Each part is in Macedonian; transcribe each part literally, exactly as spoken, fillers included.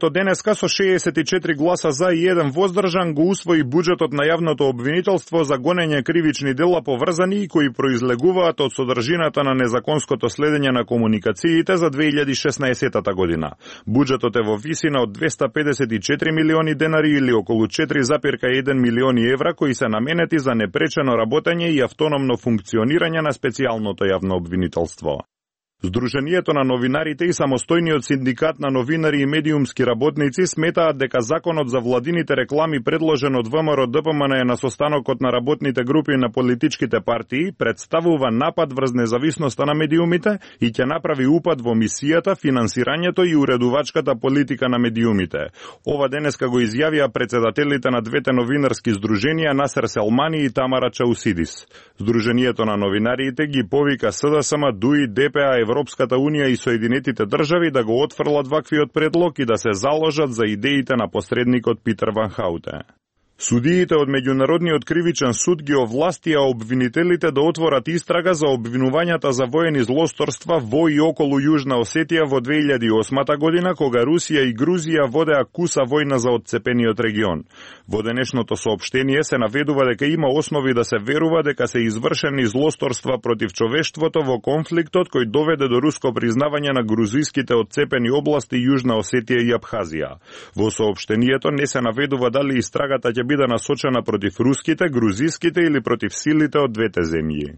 Парламентот денеска со шеесет и четири гласа за и еден воздржан го усвои буџетот на јавното обвинителство за гонење кривични дела поврзани и кои произлегуваат од содржината на незаконското следење на комуникациите за две илјади и шеснаесетта година. Буџетот е во висина од двесте педесет и четири милиони денари или околу четири запирка еден милиони евра кои се наменети за непречено работење и автономно функционирање на специјалното јавно обвинителство. Сдруженијето на новинарите и самостојниот синдикат на новинари и медиумски работници сметаат дека законот за владините реклами предложен од ВМРО Д П М Н на состанокот на работните групи на политичките партии представува напад врз независноста на медиумите и ќе направи упад во мисијата, финансирањето и уредувачката политика на медиумите. Ова денеска го изјавија председателите на двете новинарски сдруженија Насер Селмани и Тамара Чаусидис. Сдруженијето на новинарите ги повика С Д С М, Д У И, Д П А, Европската Унија и Соединетите држави да го отфрлат ваквиот предлог и да се заложат за идеите на посредникот Питер Ван Хауте. Судиите од Меѓународниот кривичен суд ги овластија обвинителите да отворат истрага за обвинувањата за воени злосторства во и околу Јужна Осетија во две илјади и осма година, кога Русија и Грузија водеа куса војна за отцепениот регион. Во денешното соопштение се наведува дека има основи да се верува дека се извршени злосторства против човештвото во конфликтот кој доведе до руско признавање на грузиските отцепени области Јужна Осетија и Абхазија. Во соопштението не се наведува дали истрагата ќе биде насочена против руските, грузиските или против силите од двете земји.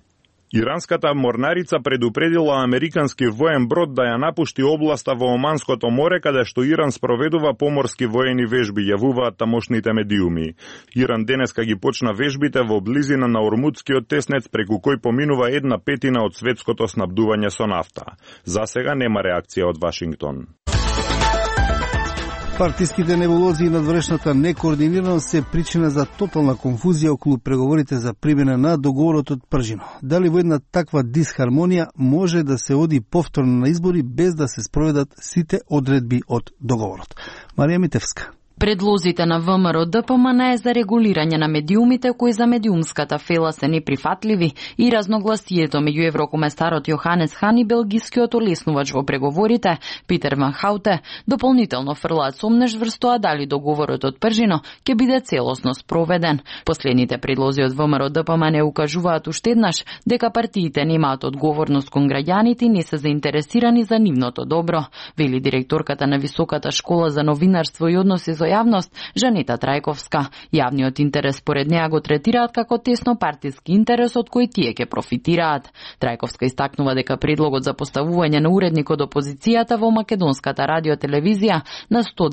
Иранската морнарица предупредила американски воен брод да ја напушти областа во Оманското море, каде што Иран спроведува поморски воени вежби, јавуваат тамошните медиуми. Иран денеска ги почна вежбите во близина на Ормудскиот теснец, преку кој поминува една петина од светското снабдување со нафта. За сега нема реакција од Вашингтон. Партиските небулози и надворешната некоординираност се причина за тотална конфузија околу преговорите за примена на договорот од Пржино. Дали во една таква дисхармонија може да се оди повторно на избори без да се спроведат сите одредби од договорот? Марија Митевска. Предлозите на ВМРО Д П М Н за регулирање на медиумите кои за медиумската фела се неприфатливи и разногласието меѓу еврокомесарот Јоханес Хан и белгискиот олеснувач во преговорите Питер Ван Хауте дополнително фрлаат сомнеш врз тоа дали договорот од Пржино ќе биде целосно спроведен. Последните предлози од ВМРО Д П М Н укажуваат уште еднаш дека партиите немаат одговорност кон граѓаните и не се заинтересирани за нивното добро, вели директорката на Високата школа за новинарство и односи со јавност Жанета Трајковска. Јавниот интерес според неа го третираат како тесно партиски интерес од кој тие ќе профитираат. Трајковска истакнува дека предлогот за поставување на уредник од опозицијата во македонската радиотелевизија на сто